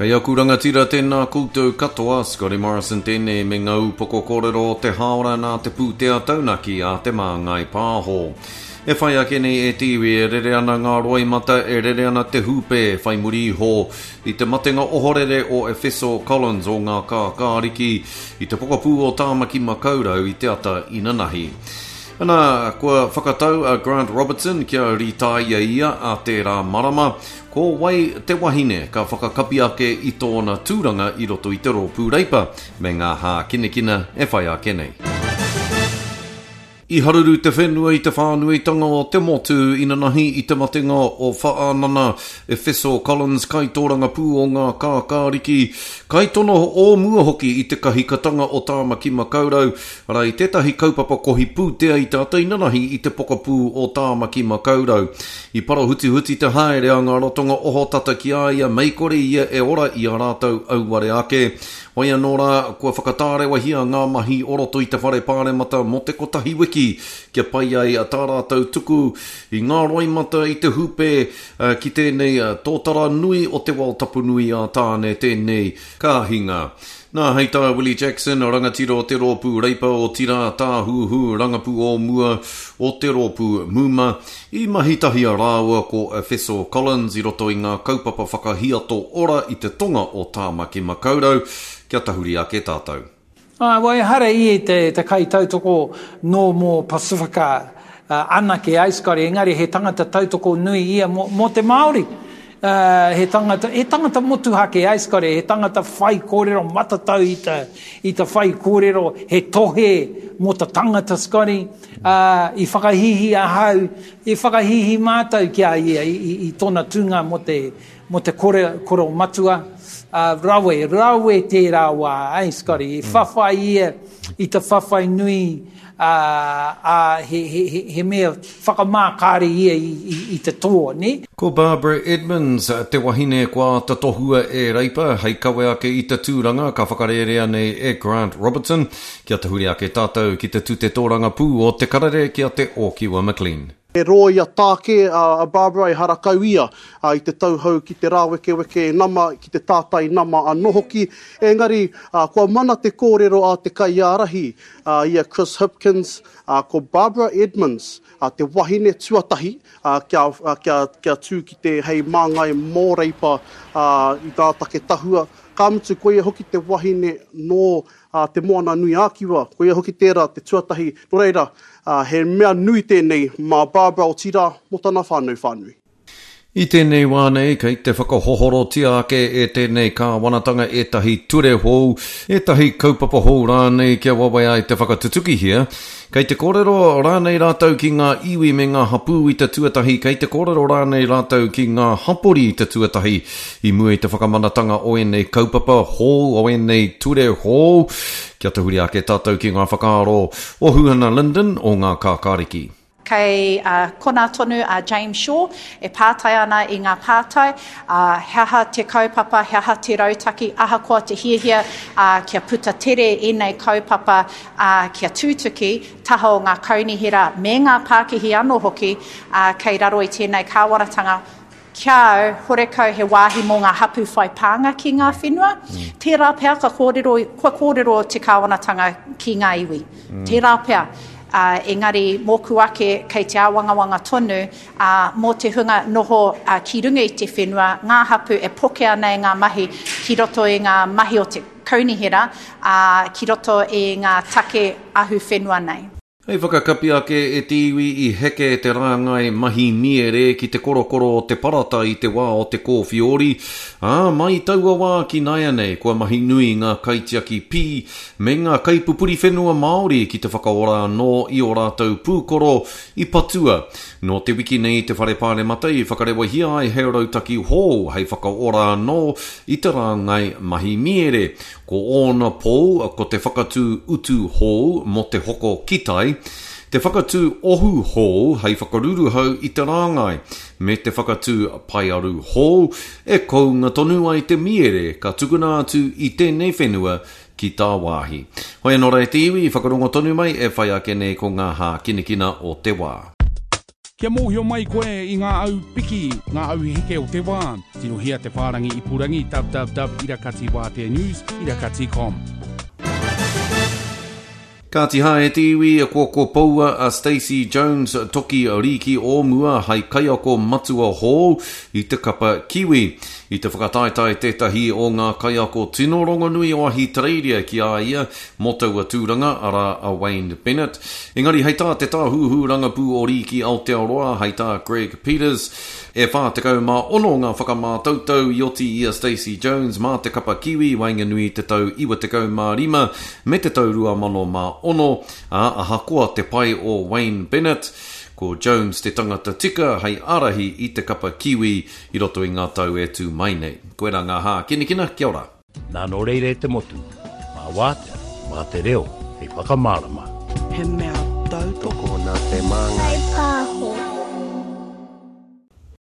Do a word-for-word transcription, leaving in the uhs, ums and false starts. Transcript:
Kei aku rangatira tēnā koutou katoa, Scotty Morrison tēnei me ngā upoko kōrero o te hāora nā te pūtea taunaki a Te Māngai Pāho. E whai ake nei e te iwi e rere ana ngā roimata, e rere ana te hūpē whai muri iho i te matenga ohorere o Efeso Collins o ngā kākāriki i te pokapū o Tāmaki Makaurau i te ata inanahi. Ana, kua whakatau a Grant Robertson kia rītāia ia a tērā marama, ko wai te wahine ka whakakapi ake i tōna tūranga i roto i te rōpū Reipa me ngā hākinakina e whai ake nei. I haruru te whenua i te whānuitanga o te motu inanahi i te matenga o Whaanana Efeso Collins kaitōrangapū o ngā kākāriki, kaitono o mua hoki i te kahikatanga o Tāmaki Makaurau, arā i tētahi kaupapa kohi pūtea i te ata inanahi i te pokapū o Tāmaki Makaurau. I parahutihuti te haere a ngā ratonga ohotata ki a ia mei kore ia e ora i a rātou auare ake. Hoi anō rā, kua whakatārewahia ngā mahi o roto i te whare pāremata mō te kotahi wiki kia pai ai tā rātou tuku i ngā roimata i te hūpē ki tēnei tōtara nui o te wao tapu nui a Tāne tēnei ka hinga. Nā, hei tā Willie Jackson, rangatira o te rōpū Reipa otirā tāhuhu rangapū o mua o te rōpū Muma, i mahi tahi a rāua ko Efeso Collins i roto i ngā kaupapa whakahiato ora i te tonga o Tāmaki Makaurau, kia tahuri ake tātou. Ah, well, ehara ia i te, te kaitautoko nō mō Pasifika uh, anake ai, Scotty, engari he tangata tautoko nui ia mō, mō te Māori. Uh, he tangata, he tangata motuhake ai, Scotty, he tangata whai kōrero matatau i te, i te whai kōrero, he tohe mō te tangata, Scotty. Uh, i whakahihi ahau, i whakahihi mātou ki a ia i, i, i tōna tūnga mō te, mō te kore, koro matua. Uh, rawe, rawe tērā wā, ai, Scotty. I whawhai ia i te whawhai nui, uh, uh, he, he, he, he mea whakamākare ia i, i, i te toa, ne? Ko Barbara Edmonds te wahine kua āta tohua e Reipa hei kawe ake i te tūranga ka whakarērea nei e Grant Robertson. Kia tahuri ake tātou ki te tute tōrangapū o te karere ki a Te Ōkiwa McLean. He rōia tāke a Barbara e harakau ia i te tauhou ki te rāwekeweke nama, ki te tātai nama anō hoki. Engari, kua mana te kōrero a te kaiārahi, i a Chris Hipkins, ko Barbara Edmonds, te wahine tuatahi kia, kia, kia tū ki te hei māngai mō Reipa i ngā take tahua. Ka mutu, koia hoki te wahine nō te Moana Nui ā-Kiwa, koia hoki tērā te tuatahi. Nō reira, he mea nui tēnei mā Barbara otirā mō tana whānau whānui. I tēnei wā nei, kei te whakahohorotia ake e tēnei kāwanatanga ētahi ture hou, ētahi kaupapa hou rānei kia wawe ai te whakatutukihia. Kei te kōrero rānei rātou ki ngā iwi me ngā hapū i te tuatahi, kei te kōrero rānei rātou ki ngā hapori i te tuatahi i mua i te whakamanatanga o ēnei kaupapa hou, o ēnei ture hou. Kia tahuri ake tātou ki ngā whakaaro o Huhana Lyndon o ngā kākāriki. Kei uh, kona tonu a James Shaw e pātai ana i ngā pātai, uh, he aha te kaupapa, he aha te rautaki, ahakoa te hiahia uh, kia puta tere ēnei kaupapa uh, kia tūtuki, taha o ngā kaunihera me ngā pākihi anō hoki uh, kei raro i tēnei kāwanatanga. Kia au, horekau he wāhi mō ngā hapu whai pānga ki ngā whenua. Mm. Tērā pea ka kōrero, kua kōrero te kāwanatanga ki ngā iwi. Mm. Tērā pea. Uh, engari mōku ake kei te āwangawanga tonu uh, mō te hunga noho uh, ki runga i te whenua, ngā hapu e pokea nei ngā mahi ki roto i ngā mahi o te kaunihera, uh, ki roto i ngā take ahu whenua nei. Hei whakakapi ake e te iwi i heke te rāngai mahi miere ki te korokoro o te parata i te wā o te kōwhiori, ā, mai taua wā ki nāianei kua mahi nui ngā kaitiaki pī me ngā kaipupuri whenua Māori ki te whakaora anō i ō rātou pūkoro i patua. Nō te wiki nei te whare pāremata i whakarewahia ai he rautaki hou hei whakaora anō i te rāngai mahi miere. Ko ōna pou ko te whakatū utu hou mō te hoko kitai, te whakatū ohu hou hei whakaruruhau i te rāngai, me te whakatū paearu hou e kounga tonu ai te miere ka tukuna atu i tēnei whenua ki tāwāhi. Hoi anō rā e te iwi, whakarongo tonu mai e whai ake nei ko ngā hākinakina o te wā. Kia mōhio mai koe i ngā au piki, ngā au heke o te wā. Tirohia te whārangi ipurangi www irakati wātea news irakati com. Kāti hā e te iwi, kua ko poua a Stacey Jones toki rīki o mua hai kaiako matua hou i te kapa Kiwi. I te whakataetae tētahi o ngā kaiako tino rongonui o Ahitereiria ki a ia mō taua tūranga, arā a Wayne Bennett. Engari hei tā te tāhuhu rangapū o Rīki Aotearoa, hei tā Greg Peters, e whā tekau mā ono ngā whakamātautau i oti i a Stacey Jones mā te kapa Kiwi waenganui te tau iwa tekau mā rima me te tau rua mano mā ono, ā, ahakoa te pai o Wayne Bennett, ko Jones te tangata tika hei ārahi i te kapa Kiwi i roto i ngā tau e tū mai nei. Koirā ngā hākinakina, kia ora. Nā nō reira e te motu, mā wātea, mā te reo, hei whakamārama. He mea tautoko nā Te Māngai.